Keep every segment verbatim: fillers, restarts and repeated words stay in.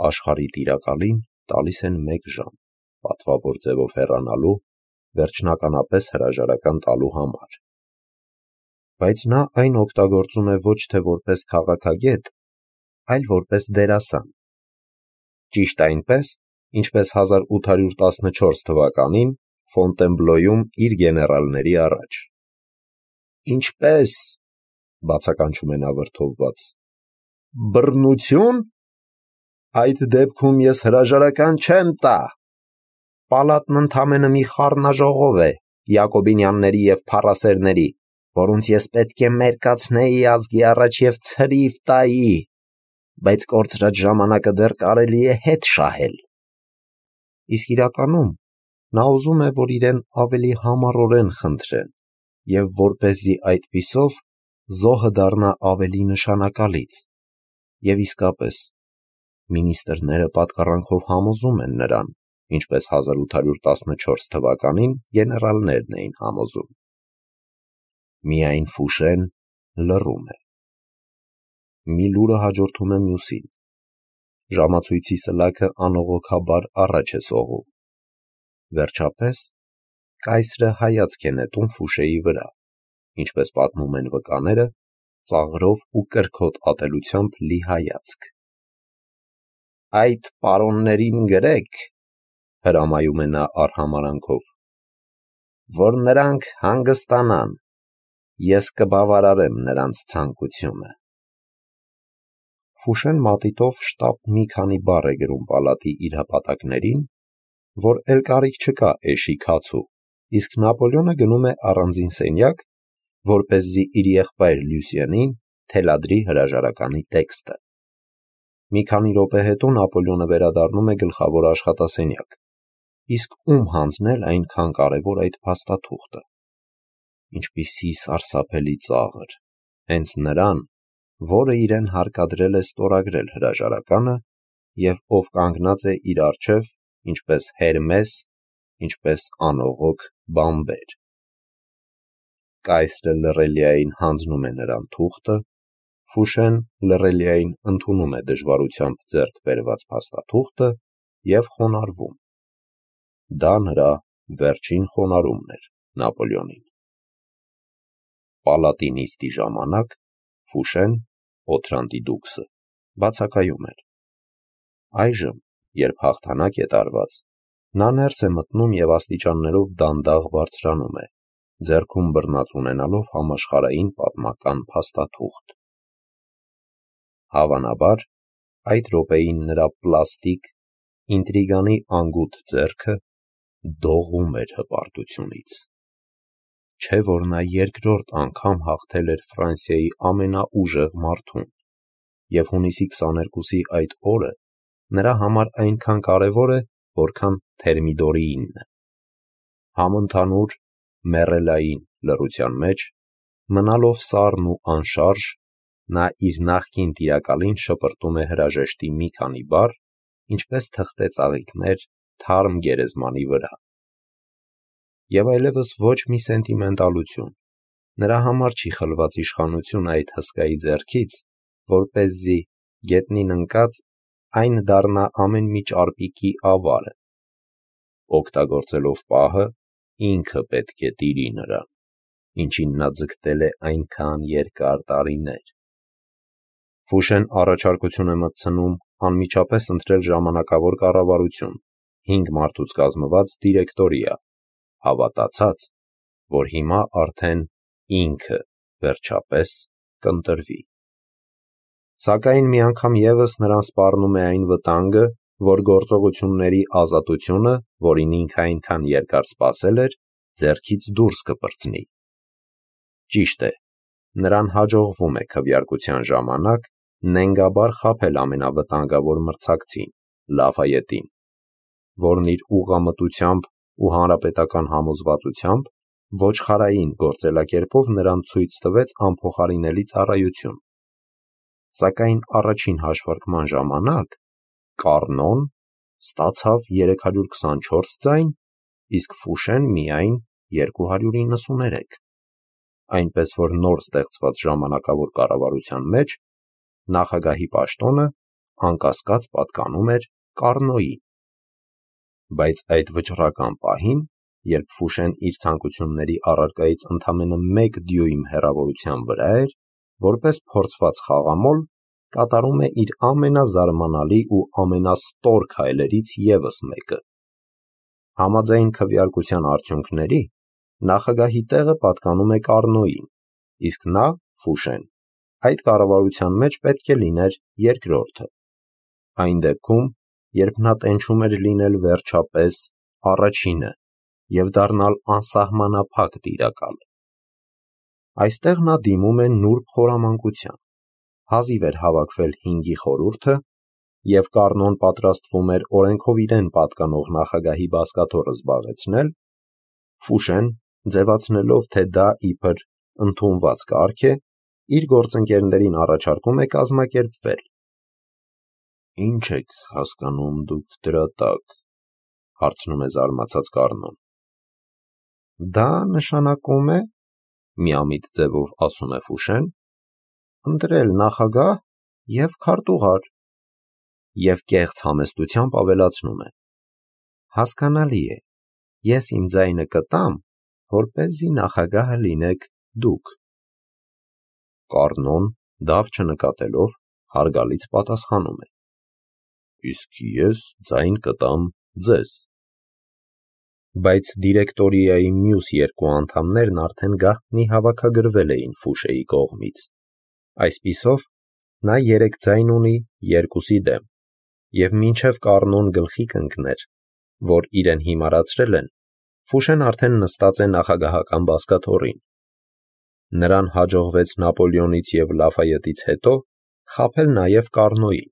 Աշխարհի տիրակալին տալիս են մեկ ժամ, պատվավոր ձևով հեռանալու, վերջնականապես հրաժարական տալու համար։ Բայց նա այն օգտագործում է ոչ թե որպես քաղաքագետ, այլ որպես դերասան։ Ճիշտ այնպես, ինչպես հազար ութ հարյուր տասնչորս թվականին Ֆոնտենբլոյում իր գեներալների առաջ։ «Ինչպե՞ս», բացականչում է նա վրդովված, «բռնությո՞ւն։ Այդ դեպքում ես հրաժարական չեմ տա։ Պալատն ընդամենը մի խառնաժողով է Յակոբինյանների և փառասերների, որոնց ես պետք է մերկացնեի ազգի առաջ և ցրիվ տայի, բայց կորցրած ժամանակը դեռ կարելի է հետ շահել»։ Իսկ իրականում նա ուզում է, որ իրեն ավելի համառորեն խնդրեն և որպեսզի այդպիսով զոհը դառնա ավելի նշանակալից։ Եվ իսկապես, մինիստրները պատկառանքով համոզում են նրան, ինչպես հազար ութ հարյուր տասնչորս թվականին գեներալներն էին համոզում։ Միայն Ֆուշեն լռում է։ Մի լուրը հաջորդում է մյուսին։ Ժամացույցի սլաքը անողոքաբար առաջ է սողում։ Վերջապես կայսրը հայացք է նետում Ֆուշեի վրա, ինչպես պատմում են վկաները, ծաղրով ու կրքոտ ատելությամբ լի հայացք։ «Այդ պարոններին գրեք, — հրամայում է նա արհամարհանքով, — որ նրանք հանգստանան, ես կբավարարեմ նրանց ցանկությունը»։ Ֆուշեն մատիտով շտապ մի քանի բառ է գրում պալատի իր հպատակներին, որ էլ կարիք չկա էշի քացու, իսկ Նապոլեոնը գնում է առանձին սենյակ, որպեսզի իր եղբայր Լյուսիենին թելադրի հրաժարականի տեքստը։ Մի քանի րոպե հետո Նապոլեոնը վերադառնում է գլխավոր աշխատասենյակ, իսկ ում հանձնել այնքան կարևոր այդ փաստաթուղթը։ Ինչպիսի սարսափելի ծաղր, հենց նրան, որը իրեն հարկադրել է ստորագրել հրաժարականը և ով կանգնած է իր առջև, ինչպես Հերմես, ինչպես անողոք բանբեր։ Կայսրը լռելիային հանձնում է նրան թուղթը, Ֆուշեն լռելիային ընդունում է դժվարությամբ ձեռք բերված փաստաթուղթը և խոնարհվում։ Դա նրա վերջին խոնարհումն էր Նապոլեոնին։ Պալատի նիստի ժամանակ Ֆուշեն, Օթրանտի դուքսը, բացակայում էր։ Այժմ, երբ հաղթանակ է տարված, նա ներս է մտնում և աստիճաններով դանդաղ բարձրանում է, ձեռքում բռնած ունենալով համաշխարհային պատմական փաստաթուղթ։ Հավանաբար, այդ րոպեին նրա պլաստիկ, ինտրիգանի անգութ ձեռքը դողում էր հպարտությունից։ Չէ՞ որ նա երկրորդ անգամ հաղթել էր Ֆրանսիայի ամենաուժեղ մարդուն, և հունիսի քսաներկուսի այդ օրը նրա համար այնքան կարևոր է, որքան Թերմիդորիինը։ Համընդհանուր, մեռելային լռության մեջ, մնալով սառն ու անշարժ, նա իր նախկին տիրակալին շպրտում է հրաժեշտի մի քանի բառ, ինչպես թղթե ծաղիկներ թարմ գերեզմանի վրա։ Եվ այլևս ոչ մի սենտիմենտալություն, նրա համար չի խլված իշխանությունը այդ հսկայի ձեռքից, որպեսզի, գետնին ընկած, այն դառնա ամեն մի ճարպիկի ավարը։ Օգտագործելով պահը, ինքը պետք է տիրի նրան, ինչին նա ձգտել է այնքան երկար տարիներ։ Ֆուշեն առաջարկություն է մտցնում անմիջապես ընտրել ժամանակավոր կառավարություն, հինգ մարդուց կազմված դիրեկտորիա, հավատացած, որ հիմա արդեն ինքը վերջապես կընտրվի։ Սակայն մի անգամ ևս նրան սպառնում է այն վտանգը, որ գործողությունների ազատությունը, որին ինքը այնքան երկար սպասել էր, ձեռքից դուրս կպրծնի։ Ճիշտ է, նրան հաջողվում է քվեարկության ժամանակ նենգաբար խաբել ամենավտանգավոր մրցակցին՝ Լաֆայետին, որն իր ուղղամտությամբ ու հանրապետական համոզվածությամբ ոչխարային գործելակերպով նրան ցույց տվեց անփոխարինելի ծառայություն։ Սակայն առաջին հաշվարկման ժամանակ Կառնոն ստացավ երեք հարյուր քսանչորս ձայն, իսկ Ֆուշեն միայն երկու հարյուր իննսուներեք, այնպես որ նոր ստեղծված ժամանակավոր կառավարության մեջ նախագահի պաշտոնը անկասկած պատկանում էր Կառնոյին։ Բայց այդ վճռական պահին, երբ Ֆուշեն իր ցանկությունների առարկայից ընդամենը մեկ դյույմ հեռավորության վրա էր, որպես փորձված խաղամոլ, կատարում է իր ամենազարմանալի ու ամենաստոր քայլերից ևս մեկը։ Համաձայն քվեարկության արդյունքների, նախագահի տեղը պատկանում է Կառնոյին, իսկ նա, Ֆուշեն, այդ կառավարության մեջ պետք է լիներ երկրորդը։ Այն դեպքում, երբ նա տենչում էր լինել վերջապես առաջինը և դառնալ անսահմանափակ տիրակալ։ Այստեղ նա դիմում է նուրբ խորամանկության, հազիվ էր հավաքվել հինգի խորհուրդը, և Կառնոն պատրաստվում էր օրենքով իրեն պատկանող նախագահի բազկաթոռը զբաղեցնել, Ֆուշեն, ձևացնելով, թե դա իբր ընդունված կարգ է, իր գործընկերներին առաջարկում է կազմակերպվել։ «Ի՞նչ եք հասկանում դուք դրա տակ», հարցնում է զարմացած Կառնոն։ «Դա նշանակում է, միամիտ ձևով ասում է Ֆուշեն, ընտրել նախագահ և քարտուղար, և կեղծ համեստությամբ ավելացնում է. հասկանալի է, ես իմ ձայնը կտամ, որպեսզի նախագահը լինեք դուք։ Կառնոն, դավ չնկատելով, հարգալից պատասխանում է. Իսկ ես ձայն կտամ ձեզ։ Բայց դիրեկտորիայի մյուս երկու անդամներն արդեն գաղտնի հավաքագրվել էին Ֆուշեի կողմից։ Այսպիսով, նա երեք ձայն ունի երկուսի դեմ, և մինչև Կառնոն գլխի կընկներ, որ իրեն հիմարացրել են, Ֆուշեն արդեն նստած է նախագահական բազկաթոռին։ Նրան հաջողվեց Նապոլեոնից և Լաֆայետից հետո խաբել նաև Կառնոյին,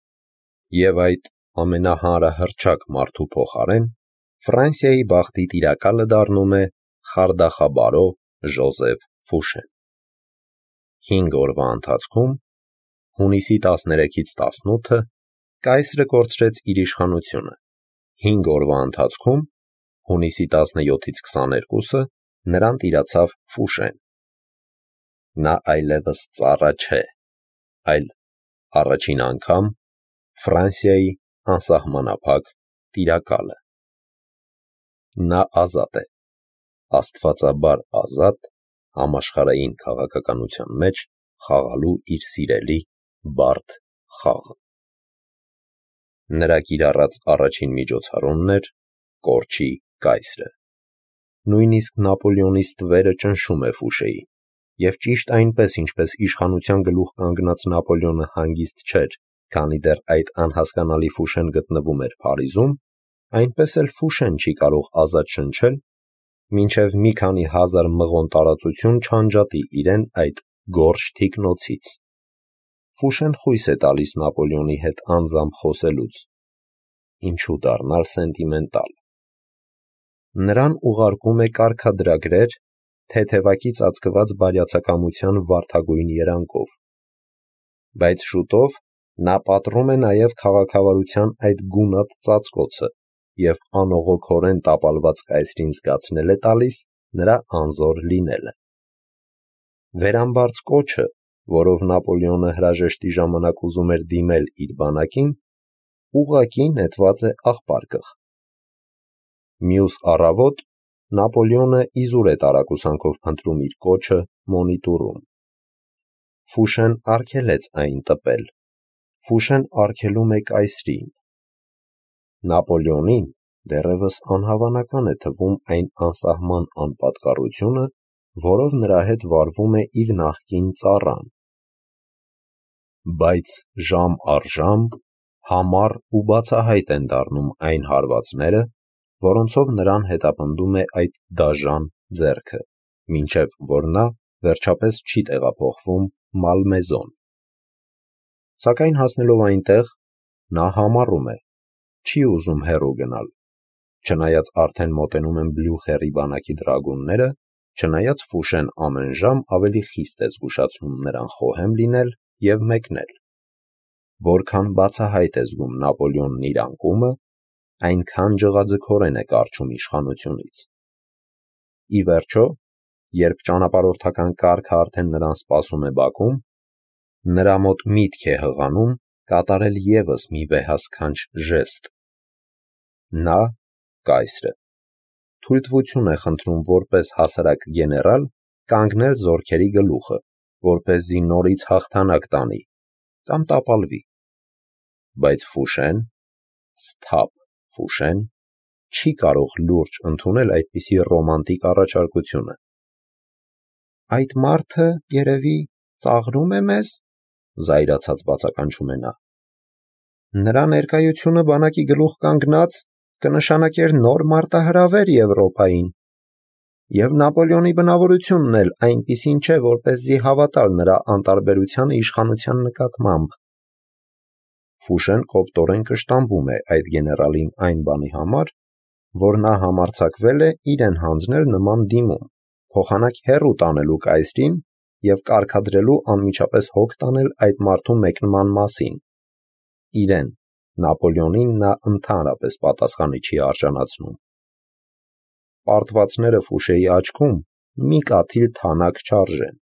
և այդ ամենահանրահռչակ մարդու փոխարեն Ֆրանսիայի բախտի տիրակալը դառնում է խարդախաբարո Ժոզեֆ Ֆուշեն։ Հինգ օրվա ընթացքում, հունիսի տասներեքից տասնութը, կայսրը կորցրեց իր իշխանությունը, հինգ օրվա ընթացքում, հունիսի տասնյոթից քսաներկուսը, նրան տիրացավ Ֆուշեն։ Նա այլևս ծառա չէ, այլ առաջին անգամ Ֆրանսիայի անսահմանափակ տիրակալը։ Նա ազատ է, աստվածաբար ազատ, համաշխարհային քաղաքականության մեջ խաղալու իր սիրելի բարդ խաղը։ Նրա կիրառած առաջին միջոցառումն էր կորչի կայսրը։ Նույնիսկ Նապոլեոնի ստվերը ճնշում է Ֆուշեին, և ճիշտ այնպես, ինչպես իշխանության գլուխ կանգնած Նապոլեոնը հանգիստ չէր, քանի դեռ այդ անհասկանալի Ֆուշեն գտնվում էր Փարիզում, այնպես էլ Ֆուշեն չի կարող ազատ շնչել, մինչև մի քանի հազար մղոն տարածություն չանջատի իրեն այդ գորշ թիկնոցից։ Ֆուշեն խույս է տալիս Նապոլեոնի հետ անձամբ խոսելուց։ Ինչու դառնալ սենտիմենտալ։ Նրան ուղարկում է կարգադրագրեր թեթևակի ծածկված բարյացակամության վարդագույն երանգով։ Բայց շուտով նա պատռում է նաև քաղաքավարության այդ գունատ ծածկոցը և անողոքորեն տապալված կայսրին զգացնել է տալիս նրա անզոր լինելը։ Վերամբարձ կոչը, որով Նապոլեոնը հրաժեշտի ժամանակ ուզում էր դիմել իր բանակին, ուղղակի նետված է աղբարկղ։ Մյուս առավոտ Նապոլեոնը իզուր է տարակուսանքով փնտրում իր կոչը մոնիտուրում։ Ֆուշեն արգելեց այն տպել։ Ֆուշեն արգելում է կայսրին։ Նապոլեոնին դեռևս անհավանական է թվում այն անսահման անպատկառությունը, որով նրա հետ վարվում է իր նախկին ծառան։ Բայց ժամ առ ժամ համառ ու բացահայտ են դառնում այն հարվածները, որոնցով նրան հետապնդում է այդ դաժան ձեռքը, մինչև որ նա վերջապես չի տեղափոխվում Մալմեզոն։ Սակայն հասնելով այնտեղ, նա համառում է, չի ուզում հեռու գնալ, չնայած արդեն մոտենում են Բլյուխերի բանակի դրագունները, չնայած Ֆուշեն ամեն ժամ ավելի խիստ է զգուշացնում նրան խոհեմ լինել և մեկնել։ Որքան բացահայտ է զգում Նապոլեոնն իր անկումը, այնքան ջղաձգորեն է կառչում իշխանությունից։ Ի վերջո, երբ ճանապարհորդական կառքը արդեն նրան սպասում է բակում, նրա մոտ միտք է հղանում կատարել ևս մի վեհասքանչ ժեստ։ Նա, կայսրը, թույլտվություն է խնդրում որպես հասարակ գեներալ կանգնել զորքերի գլուխը, որպեսզի նորից հաղթանակ տանի կամ տապալվի։ Բայց Ֆուշեն, սթափ Ֆուշեն, չի կարող լուրջ ընդունել այդպիսի ռոմանտիկ առաջարկությունը։ Այդ մարդը, երևի, ծաղրում է մեզ, զայրացած բացականչում է նա։ Նրա ներկայությունը բանակի գլուխ կանգնած կնշանակեր նոր մարտահրավեր Եվրոպային, և Նապոլեոնի բնավորությունն էլ այնպիսին չէ, որպեսզի հավատալ նրա անտարբերությանը իշխանության նկատմամբ։ Ֆուշեն կոպտորեն կշտամբում է այդ գեներալին այն բանի համար, որ նա համարձակվել է իրեն հանձնել նման դիմում, փոխանակ հեռու տանելու կայսրին և կարգադրելու անմիջապես հոգ տանել այդ մարդու մեկնման մասին։ Իրեն, Նապոլեոնին նա ընդհանրապես պատասխանի չի արժանացնում։ Պարտվածները Ֆուշեի աչքում մի կաթիլ թանաք չարժեն։